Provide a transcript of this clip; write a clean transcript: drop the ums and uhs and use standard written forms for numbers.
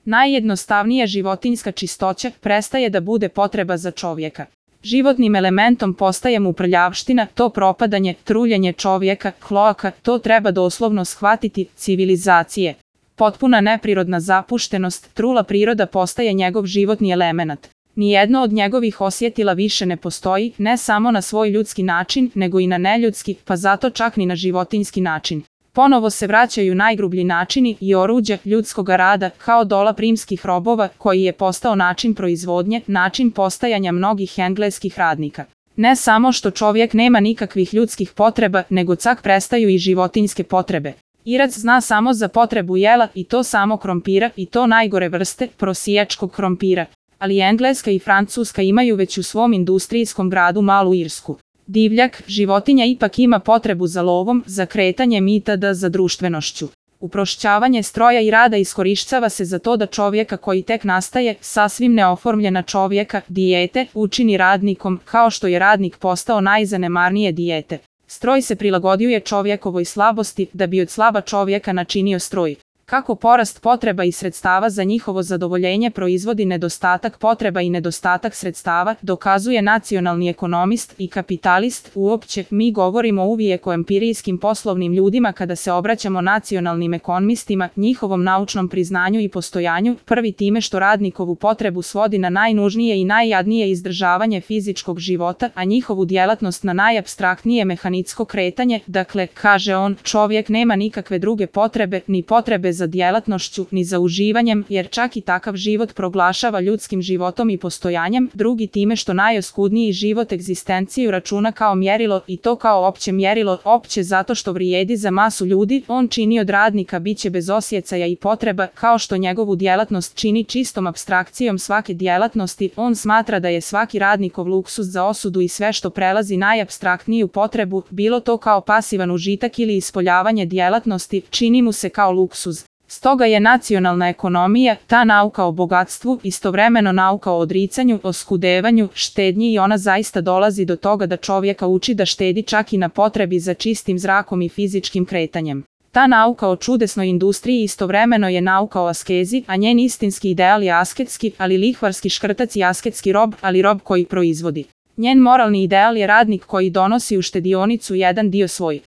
Najjednostavnija životinjska čistoća prestaje da bude potreba za čovjeka. Životnim elementom postaje mu prljavština, to propadanje, truljenje čovjeka, kloaka, to treba doslovno shvatiti, civilizacije. Potpuna neprirodna zapuštenost, trula priroda postaje njegov životni element. Nijedno od njegovih osjetila više ne postoji, ne samo na svoj ljudski način, nego i na neljudski, pa zato čak ni na životinjski način. Ponovo se vraćaju najgrublji načini i oruđa ljudskoga rada, kao dolap rimskih robova, koji je postao način proizvodnje, način postajanja mnogih engleskih radnika. Ne samo što čovjek nema nikakvih ljudskih potreba, nego čak prestaju i životinjske potrebe. Irac zna samo za potrebu jela, i to samo krompira, i to najgore vrste, prosijačkog krompira. Ali Engleska i Francuska imaju već u svom industrijskom gradu malu Irsku. Divljak, životinja ipak ima potrebu za lovom, za kretanjem itd. Za društvenošću. Uprošćavanje stroja i rada iskorištava se za to da čovjeka koji tek nastaje, sasvim neoformljena čovjeka, dijete, učini radnikom, kao što je radnik postao najzanemarnije dijete. Stroj se prilagodio čovjekovoj slabosti da bi od slaba čovjeka načinio stroj. Kako porast potreba i sredstava za njihovo zadovoljenje proizvodi nedostatak potreba i nedostatak sredstava, dokazuje nacionalni ekonomist i kapitalist. Uopće, mi govorimo uvijek o empirijskim poslovnim ljudima kada se obraćamo nacionalnim ekonomistima, njihovom naučnom priznanju i postojanju, prvi time što radnikovu potrebu svodi na najnužnije i najjadnije izdržavanje fizičkog života, a njihovu djelatnost na najapstraktnije mehanitsko kretanje. Dakle, kaže on, čovjek nema nikakve druge potrebe, ni potrebe za djelatnošću, ni za uživanjem, jer čak i takav život proglašava ljudskim životom i postojanjem, drugi time što najoskudniji život egzistenciju računa kao mjerilo, i to kao opće mjerilo, opće zato što vrijedi za masu ljudi, on čini od radnika biće bez osjecaja i potreba, kao što njegovu djelatnost čini čistom apstrakcijom svake djelatnosti, on smatra da je svaki radnikov luksuz za osudu i sve što prelazi najapstraktniju potrebu, bilo to kao pasivan užitak ili ispoljavanje djelatnosti, čini mu se kao luksuz. Stoga je nacionalna ekonomija, ta nauka o bogatstvu, istovremeno nauka o odricanju, oskudevanju, štednji, i ona zaista dolazi do toga da čovjeka uči da štedi čak i na potrebi za čistim zrakom i fizičkim kretanjem. Ta nauka o čudesnoj industriji istovremeno je nauka o askezi, a njen istinski ideal je asketski, ali lihvarski škrtac i asketski rob, ali rob koji proizvodi. Njen moralni ideal je radnik koji donosi u štedionicu jedan dio svoj